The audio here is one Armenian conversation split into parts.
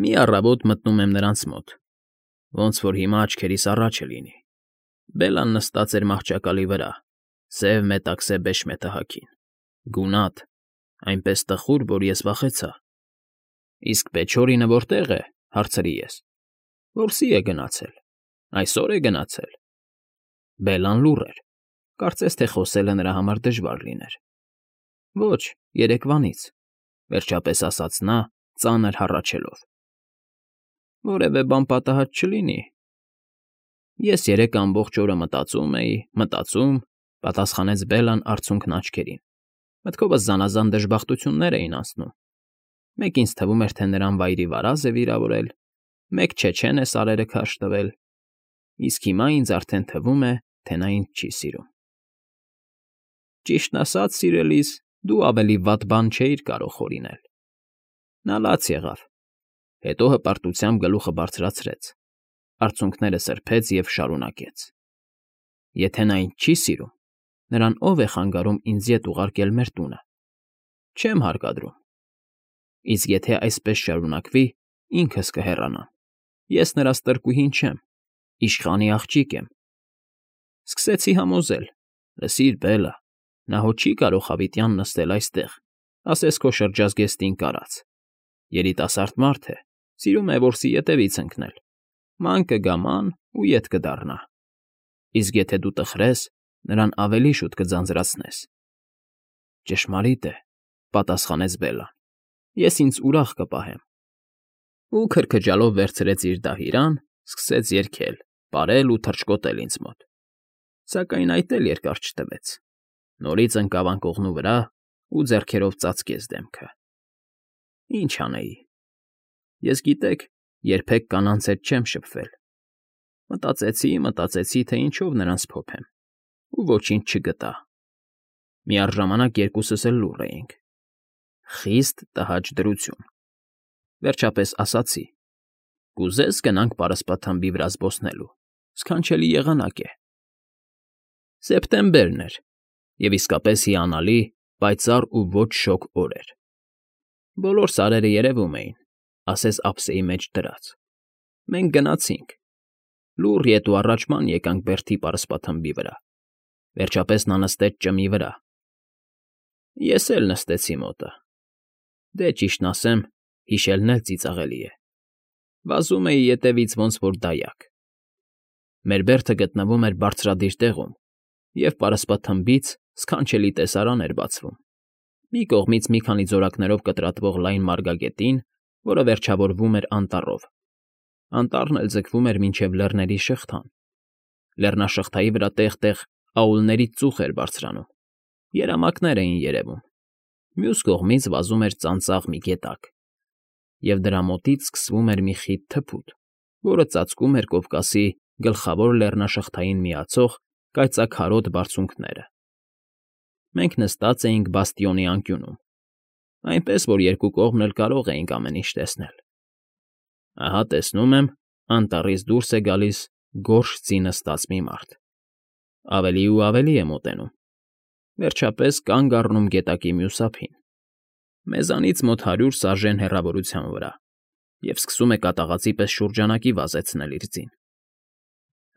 Մի առավոտ մտնում եմ նրանց մոտ, ոնց որ հիմա աչքերիս առաջը լինի. Բելլան նստած էր մահճակալի վրա, սև մետաքսե բեշմեթը հագին, գունատ, այնպես տխուր, որ ես վախեցա։ Իսկ Պեչորինը որտե՞ղ է, հարցրի ես։ Որսի է գնացել, այսօր է գնացել։ Բելլան լուռ էր, կարծես թե խոսելը նրա համար դժվար լիներ։ Ոչ, երեկվանից, վերջապես ասաց նա, ծանր հառաչելով։ Որևէ բան պատահած չլինի։ Ես երեկ ամբողջ օրը մտածում էի, պատասխանեց Բելլան արցունքն աչքերին։ Մտքովս զանազան դժբախտություններ էին անցնում։ Մեկ ինձ թվում էր, թե նրան վայրի վարազ է վիրավորել, մեկ չեչեն է սարերը քարշ տվել, իսկ հիմա ինձ արդեն թվում է, թե նա ինձ չի սիրում։ Ճիշտն ասած, սիրելիս, դու ավելի վատ բան չէիր կարող հորինել։ Նա լաց եղավ, հետո հպարտությամբ գլուխը բարձրացրեց, արցունքները սրբեց և շարունակեց. Եթե նա ինձ չի սիրում, նրան ով է խանգարում ինձ ետ ուղարկել մեր տունը։ Չեմ հարկադրում։ Իսկ եթե այսպես շարունակվի, ինքս կհեռանամ։ Ես նրա ստրկուհին չեմ, իշխանի աղջիկ եմ։ Սկսեցի համոզել. լսիր, Բելլա, նա հո չի կարող հավիտյան նստել այստեղ, ասես քո շրջազգեստին կարած։ Երիտասարդ մարդ է, սիրում է որսի ետևից ընկնել։ Ման կգա ման ու ետ կդառնա։ Իսկ եթե դու տխրես, նրան ավելի շուտ կձանձրացնես։ Ճշմարիտ է, պատասխանեց Բելլան։ Ես ինձ ուրախ կպահեմ։ Ու քրքջալով վերցրեց իր դահիրան, սկսեց երգել, պարել ու թռչկոտել ինձ մոտ։ Սակայն այդ էլ երկար չտվեց։ Նորից ընկավ անկողնու վրա ու ձեռքերով ծածկեց դեմքը։ Ինչ անեի։ Ես, գիտեք, երբեք կանանց հետ չեմ շփվել։ Մտածեցի, թե ինչով նրանց փոփեմ, ու ոչինչ չգտա։ Միառժամանակ երկուսս էլ լուռ էինք։ Խիստ տհաճ դրություն։ Վերջապես ասացի. կուզես գնանք պարսպաթմբի վրա զբոսնելու, սքանչելի եղանակ է։ Սեպտեմբերն էր, և իսկապես հիանալի, պայծառ ու ոչ շոգ օր էր։ Բոլոր սարերը երևում էին, ասես ափսեի մեջ դրած։ Մենք գնացինք։ Լուռ ետ ու առաջ ման եկանք բերդի պարսպաթմբի վրա։ Վերջապես նա նստեց ճմի վրա։ Ես էլ նստեցի մոտը։ Դե ճիշտն ասեմ, հիշելն էլ ծիծաղելի է։ Վազում էի ետևից ոնց որ դայակ։ Մեր բերդը գտնվում էր բարձրադիր տեղում, և պարսպաթմբից սքանչելի տեսարան էր բացվում։ Մի կողմից մի քանի ձորակներով կտրատվող լայն մարգագետին, որը վերջավորվում էր անտառով։ Անտառն էլ ձգվում էր մինչև լեռների շղթան։ Լեռնաշղթայի վրա տեղ֊տեղ աուլներից ծուխ էր բարձրանում։ Երամակներ էին երևում։ Մյուս կողմից վազում էր ծանծաղ մի գետակ, և դրա մոտից սկսվում էր մի խիտ թփուտ, որը ծածկում էր Կովկասի գլխավոր լեռնաշղթային միացող կայծաքարոտ բարձունքները։ Մենք նստած էինք բաստիոնի անկյունում, այնպես որ երկու կողմն էլ կարող էինք ամեն ինչ տեսնել։ Ահա տեսնում եմ, անտառից դուրս է գալիս գորշ ձի նստած մի մարդ։ Ավելի ու ավելի է մոտենում։ Վերջապես կանգ առնում գետակի մյուս ափին, մեզանից մոտ 100 սարժեն հեռավորության վրա, և սկսում է կատաղածի պես շուրջանակի վազեցնել իր ձին։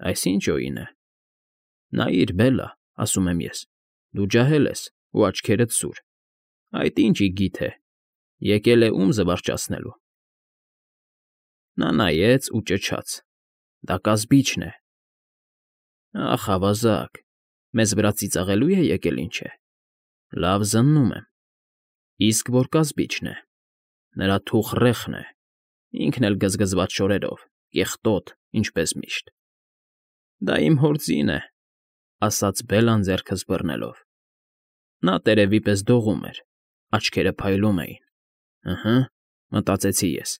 Այս ինչ օին է։ Նայիր, Բելլա, ասում եմ ես, դու ջահել ես ու աչքերդ սուր։ Այդ ինչ իգիթ է, եկել է ում զվարճացնելու։ Նա նայեց ու ճչաց. դա կազբիջն է։ Ախ, ավազակ, մեզ վրա ծիծաղելո՞ւ է եկել, ինչ է։ Լավ զննում եմ։ Իսկ որ կազբիջն է։ Նրա թուխ ռեխն է, ինքն էլ գզգզված շորերով, կեղտոտ, ինչպես միշտ։ Դա իմ հոր ձին է, ասաց Բելլան ձեռքս բռնելով։ Նա տերևի պես դողում էր, աչքերը փայլում էին։ Ըհը, մտածեցի ես,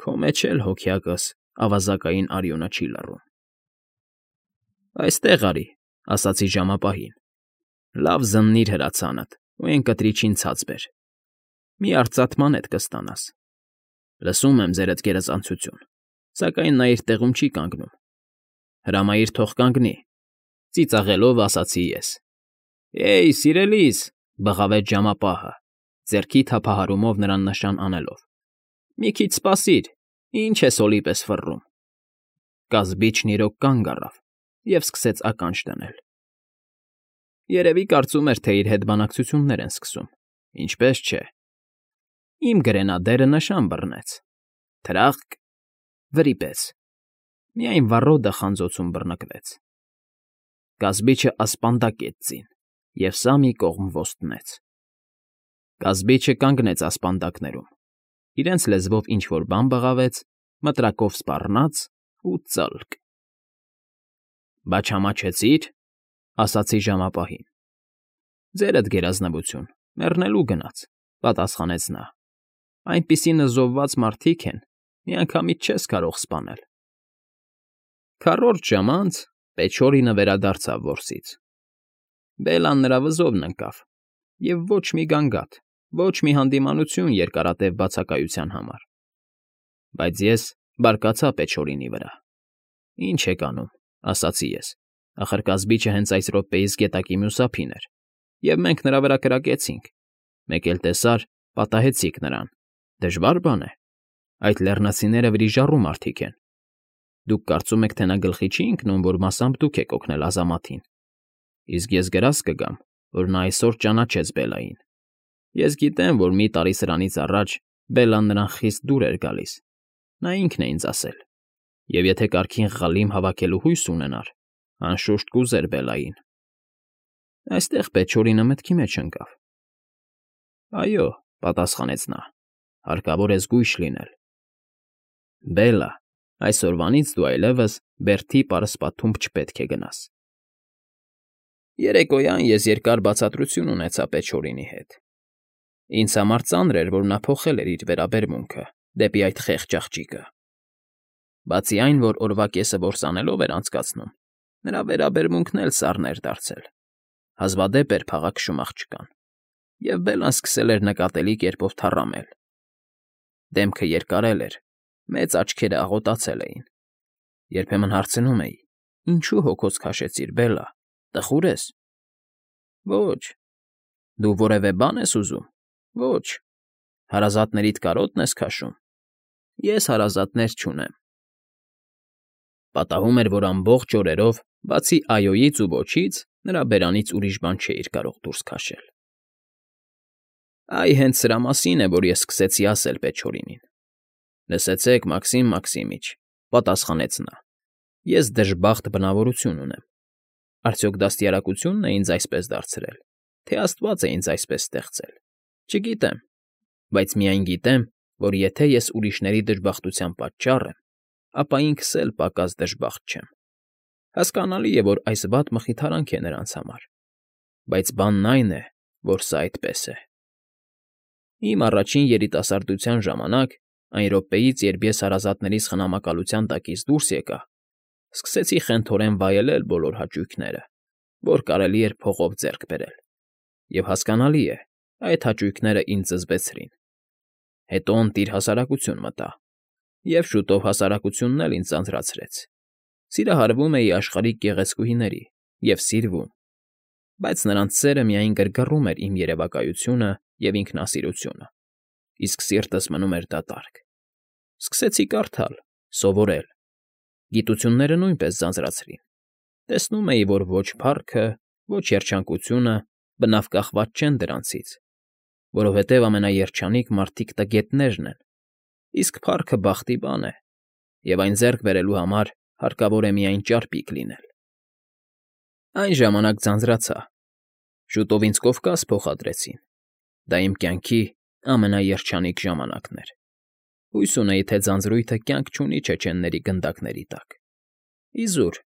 քո մեջ էլ հոգյակս ավազակային արյունը չի լռում։ Այստեղ արի, ասացի ժամապահին։ Լավ զննիր հրացանդ ու էն կտրիչին ցած բեր։ Մի արծաթ մանետ կստանաս։ Լսում եմ ձերդ գերազանցություն, սակայն նա իր տեղում չի կանգնում։ Հրամայիր թող կանգնի, ծիծաղելով ասացի ես։ Էյ, սիրելիս, բղավեց ժամապահը, ձեռքի թափահարումով նրան նշան անելով։ Մի քիչ սպասիր, Ինչ է սոլի պես ֆռռում։ Կազբիչն իրոք կանգ առավ և սկսեց ականջ դնել։ Երևի կարծում էր, թե իր հետ բանակցություններ են սկսում, ինչպես չէ։ Իմ գրենադերը նշան բռնեց։ Թրախկ, վրիպեց։ Միայն վառոդը խանձոցում բռնկվեց։ Կազբիչը ասպանդակեց ձին, և սա մի կողմ ոստնեց։ Կազբիչը կանգնեց ասպանդակներում, իրենց լեզվով ինչ֊որ բան բղավեց, մտրակով սպառնաց ու ծլկ։ «Բա չամաչեցի՞ր,֊ ասացի ժամապահին։ «Ձերդ գերազնվություն, մեռնելու գնաց,֊ պատասխանեց նա։ «Այնպիսի նզովված մարդիկ են, միանգամից չես կարող սպանել»։ Քառորդ ժամ անց Պեչորինը վերադարձավ որսից։ Բելլան նրա վզովն ընկավ, և ոչ մի գանգատ, ոչ մի հանդիմանություն երկարատև բացակայության համար։ Բայց ես բարկացա Պեչորինի վրա։ «Ինչ եք անում,֊ ասացի ես,֊ ախր կազբիչը հենց այս րոպեիս գետակի մյուս ափին էր, և մենք նրա վրա կրակեցինք, մեկ էլ տեսար, պատահեցիք նրան, դժվար բան է։ Այդ լեռնացիները վրիժառու մարդիկ են։ Դուք կարծում եք, թե նա գլխի չի ընկնում, որ մասամբ դուք եք օգնել ազամաթին։ Իսկ ես գրազ կգամ, որ նա այսօր ճանաչեց Բելլային։ Ես գիտեմ, որ մի տարի սրանից առաջ Բելլան նրան խիստ դուր էր գալիս։ Նա ինքն է ինձ ասել։ Եվ եթե կարգին Ղալիմ հավաքելու հույս ունենար, անշուշտ կուզեր Բելլային»։ Այստեղ Պեչորինը մտքի մեջ ընկավ։ «Այո,֊ պատասխանեց նա,֊ հարկավոր է զգույշ լինել։ Բելլա, այսօրվանից դու այլևս Բերթի պարսպաթումբ չպետք է գնաս»։ Երեկոյան ես երկար բացատրություն ունեցա Պեչորինի հետ։ Ինձ համար ծանր էր, որ նա փոխել էր իր վերաբերմունքը դեպի այդ խեղճ աղջիկը։ Բացի այն, որ օրվա կեսը որսանելով էր անցկացնում, նրա վերաբերմունքն էլ սառն էր դարձել, հազվադեպ էր փաղաքշում աղջկան, և Բելլան սկսել էր նկատելի կերպով թառամել։ Դեմքը երկարել էր, մեծ աչքերը աղոտացել էին։ Երբեմն հարցնում էի. «Ինչու հոգոց քաշեցիր, Բելլա, տխո՞ւր ես»։ «Ոչ»։ «Դու որևէ բան ես ուզում»։ «Ոչ»։ «Հարազատներիդ կարոտն ես քաշում»։ «Ես հարազատներ չունեմ»։ Պատահում էր, որ ամբողջ օրերով, բացի «այո»֊ից ու «ոչից», նրա բերանից ուրիշ բան չէիր կարող դուրս քաշել։ Այ հենց սրա մասին է, որ ես սկսեցի ասել Պեչորինին։ «Լսեցեք, Մաքսիմ Մաքսիմիչ,֊ պատասխանեց նա,֊ ես դժբախտ բնավորություն ունեմ։ Արդյոք դաստիարակությո՞ւնն է ինձ այսպես դարձրել, թե աստված է ինձ այսպես ստեղծել։ Չգիտեմ, բայց միայն գիտեմ, որ եթե ես ուրիշների դժբախտության պատճառ եմ, ապա ինքս էլ պակաս դժբախտ չեմ։ Հասկանալի է, որ այս վատ մխիթարանք է նրանց համար, բայց բանն այն է, որ սա այդպես է։ Իմ առաջին երիտասարդության ժամանակ, այն րոպեից, երբ ես հարազատներիս խնամակալության տակից դուրս եկա, սկսեցի խենթորեն վայելել բոլոր հաճույքները, որ կարելի էր փողով ձեռք բերել, և հասկանալի է, այդ հաճույքները ինձ զզվեցրին։ Հետո ընտիր հասարակություն մտա, և շուտով հասարակությունն էլ ինձ ձանձրացրեց։ Սիրահարվում էի աշխարհիկ գեղեցկուհիների և սիրվում, բայց նրանց սերը միայն գրգռում էր իմ երևակայությունը և ինքնասիրությունը, իսկ սիրտս մնում էր դատարկ։ Սկսեցի կարդալ, սովորել։ Գիտությունները նույնպես ձանձրացրին։ Տեսնում էի, որ ոչ փառքը, ոչ երջանկությունը բնավ կախված չեն դրանցից, որովհետև ամենաերջանիկ մարդիկ տգետներն են, իսկ փառքը բախտի բան է, և այն ձեռք բերելու համար հարկավոր է միայն ճարպիկ լինել։ Այն ժամանակ ձանձրացա։ Շուտով ինձ Կովկաս փոխադրեցին։ Դա իմ կյանքի ամենաերջանիկ ժամանակն էր։ Հույս ունեի, թե ձանձրույթը կյանք չունի չեչենների գնդակների տակ։ Իզուր,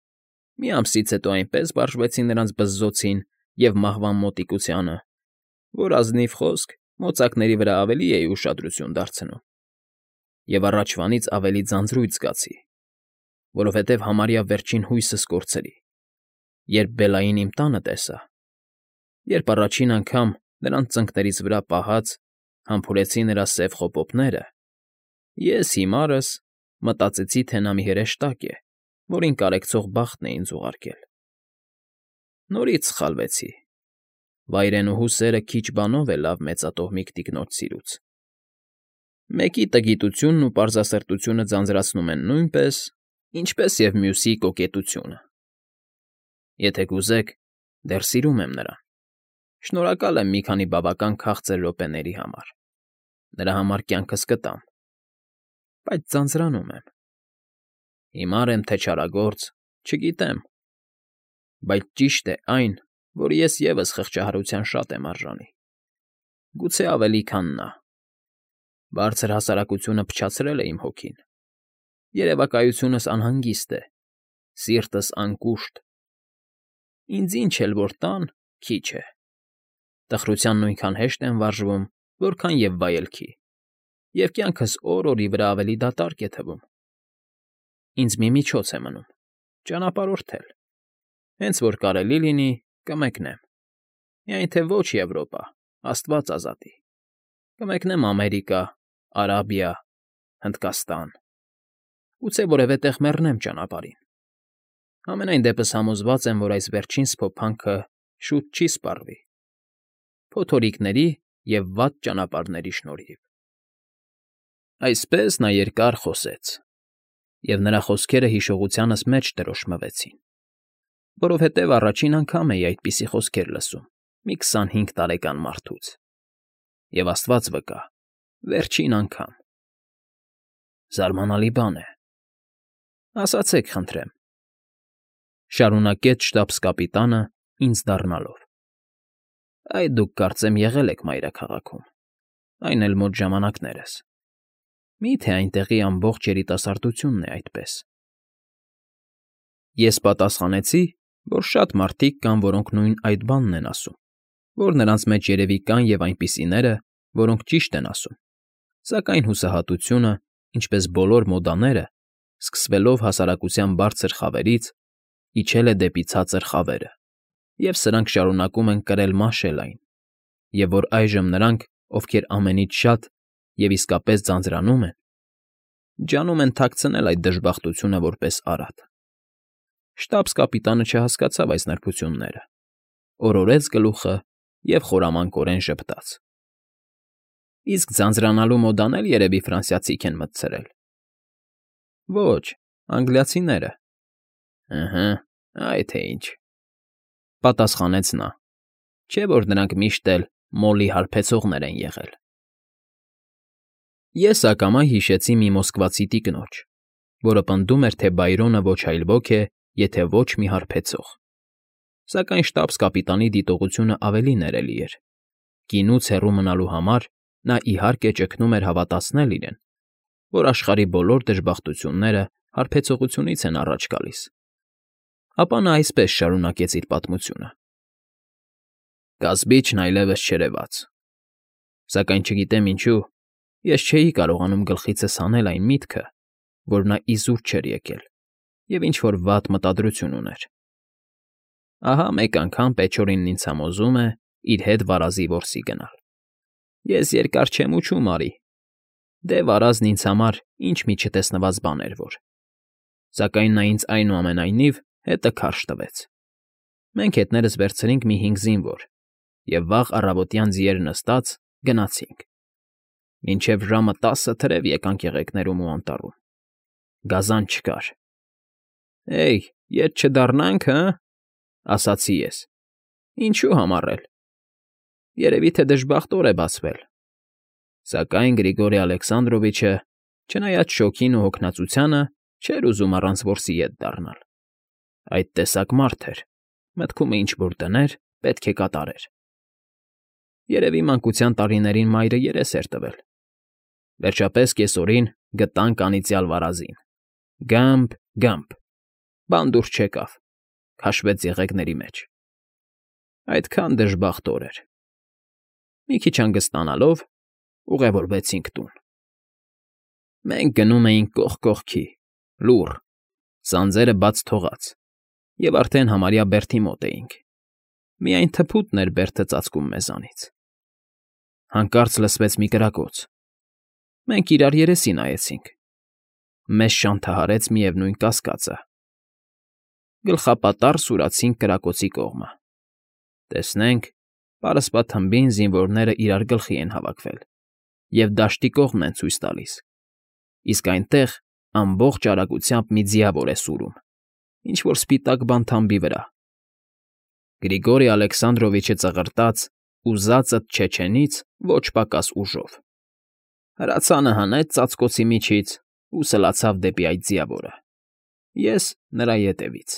մի ամսից հետո այնպես վարժվեցի նրանց բզզոցին և մահվան մոտիկությանը, որ ազնիվ խոսք մոծակների վրա ավելի էի ուշադրություն դարձնում։ Եվ առաջվանից ավելի ձանձրույթ զգացի, որովհետև համարյա վերջին հույսս կորցրի, երբ Բելլային իմ տանը տեսա, երբ առաջին անգամ նրանց ծնկներից վրա պահած համբուրեցի նրա սև խոպոպները, ես հիմարս մտածեցի, թե նա մի հրեշտակ է, որին կարեկցող բախտն է ինձ ուղարկել։ Նորից սխալվեցի։ Վայրենուհու սերը քիչ բանով է լավ մեծատոհմիկ տիկնոջ սիրուց։ Մեկի տգիտությունն ու պարզասրտությունը ձանձրացնում են նույնպես, ինչպես և մյուսի կոկետությունը։ Եթե կուզեք, դեռ սիրում եմ նրան։ Շնորհակալ եմ մի քանի բավական քաղցր րոպեների համար։ Նրա համար կյանքս կտամ, բայց ձանձրանում եմ։ Հիմար եմ, թե չարագործ, չգիտեմ, բայց ճիշտ է այն, որ ես ևս խղճահարության շատ եմ արժանի։ Գուցե ավելի, քան նա։ Բարձր հասարակությունը փչացրել է իմ հոգին։ Երևակայությունս անհանգիստ է, սիրտս անկուշտ։ Ինձ ինչ էլ որ տան, քիչ է։ Տխրության նույնքան հեշտ եմ վարժվում, որքան և վայելքի, և կյանքս օր֊օրի վրա ավելի դատարկ է թվում։ Ինձ մի միջոց է մնում՝ ճանապարհորդել։ Հենց որ կարելի լինի, կմեկնեմ։ Միայն թե ոչ Եվրոպա, աստված ազատի։ Կմեկնեմ Ամերիկա, Արաբիա, Հնդկաստան։ Գուցե որևէ տեղ մեռնեմ ճանապարհին։ Համենայն դեպս համոզված եմ, որ այս վերջին սփոփանքը շուտ չի սպառվի։ Փոթորիկների և վատ ճանապարհների շնորհիվ։ Այսպես նա երկար խոսեց, և նրա խոսքերը հիշողությանս մեջ տրոշմվեցին, որովհետև առաջին անգամ էի այդպիսի խոսքեր լսում մի 25 տարեկան մարդուց, և աստված վկա, վերջին անգամ։ Զարմանալի բան է։ Ասացեք, խնդրեմ,֊ շարունակեց շտաբս֊կապիտանը ինձ դառնալով։ Այ դուք կարծեմ եղել եք մայրաքաղաքում, այն էլ մոտ ժամանակներս։ Մի՞թե այնտեղի ամբողջ երիտասարդությունն է այդպես։ Ես պատասխանեցի, որ շատ մարդիկ կան, որոնք նույն այդ բանն են ասում, որ նրանց մեջ երևի կան և այնպիսիները, որոնք ճիշտ են ասում, սակայն հուսահատությունը, ինչպես բոլոր մոդաները, սկսվելով հասարակության բարձր խավերից, իջել է դեպի ցածր խավերը, և սրանք շարունակում են կրել֊մաշել այն, և որ այժմ նրանք, ովքեր ամենից շատ և իսկապես ձանձրանում են, ջանում են թաքցնել այդ դժբախտությունը որպես արատ։ Շտաբս֊կապիտանը չհասկացավ այս նրբությունները, օրորեց գլուխը և խորամանկորեն ժպտաց։ Իսկ ձանձրանալու մոդան էլ երևի ֆրանսիացիք են մտցրել։ Ոչ, անգլիացիները։ Ըհը, այ թե ինչ,֊ պատասխանեց նա, չէ՞ որ նրանք միշտ էլ մոլի հարբեցողներ են եղել։ Ես ակամա հիշեցի մի մոսկվացի տիկնոջ, որը պնդում էր, թե Բայրոնը ոչ այլ ոք է, եթե ոչ մի հարբեցող։ Սակայն շտաբս֊կապիտանի դիտողությունը ավելի ներելի էր։ Գինուց հեռու մնալու համար նա իհարկե ճգնում էր հավատացնել իրեն, որ աշխարհի բոլոր դժբախտությունները հարբեցողությունից են առաջ գալիս։ Ապա նա այսպես շարունակեց իր պատմությունը. Կասբիչն այլևս չերևաց։ Սակայն չգիտեմ ինչու, ես չէի կարողանում գլխիցս հանել այն միտքը, որ նա իզուր չէր եկել և ինչ֊որ վատ մտադրություն ուներ։ Ահա մեկ անգամ Պեչորինն ինձ համոզում է իր հետ վարազի որսի գնալ։ Ես երկար չեմ ուչում, արի։ Դե վարազն ինձ համար ինչ մի չտեսնված բան էր որ։ Սակայն նա ինձ այնուամենայնիվ հետը քարշ տվեց։ Մենք հետներս վերցրինք մի 5 զինվոր և վաղ առավոտյան ձիեր նստած գնացինք։ Մինչև ժամը 10 թրև եկանք եղեգներում ու անտառում։ Գազան չկար։ Հեյ, ետ չդառնանք, հը՞, ասացի ես։ Ինչու համառել։ Երևի թե դժբախտ օր է բացվել։ Սակայն Գրիգորի Ալեքսանդրովիչը, չնայած շոգին ու հոգնածությանը, չէր ուզում առանց որսի ետ դառնալ։ Այդ տեսակ մարդ էր, մտքումը ինչ֊որ դներ, պետք է կատարեր։ Երևի մանկության տարիներին մայրը երես էր տվել։ Վերջապես կեսօրին գտանք անիծյալ վարազին։ Գըմփ, գըմփ, բան դուրս չեկավ, քաշվեց եղեգների մեջ։ Այդքան դժբախտ օր էր։ Մի քիչ հանգստանալով ուղևորվեցինք տուն։ Մենք գնում էինք կողք կողքի, լուռ, սանձերը բաց թողած, և արդեն համարյա բերդի մոտ էինք։ Միայն թփուտն էր բերդը ծածկում մեզանից։ Հանկարծ լսվեց մի կրակոց։ Մենք իրար երեսի նայեցինք։ Մեզ շանթահարեց միևնույն կասկածը։ Գլխապատառ սուրացինք կրակոցի կողմը։ Տեսնենք, պարսպաթմբին զինվորները իրար գլխի են հավաքվել և դաշտի կողմն են ցույց տալիս, իսկ այնտեղ ամբողջ արագությամբ մի ձիավոր է սուրում, ինչ֊որ սպիտակ բան թամբի վրա։ Գրիգորի Ալեքսանդրովիչը ծղրտաց ու զածդ չեչենից ոչ պակաս ուժով հրացանը հանեց ծածկոցի միջից ու սլացավ դեպի այդ ձիավորը, ես նրա ետևից։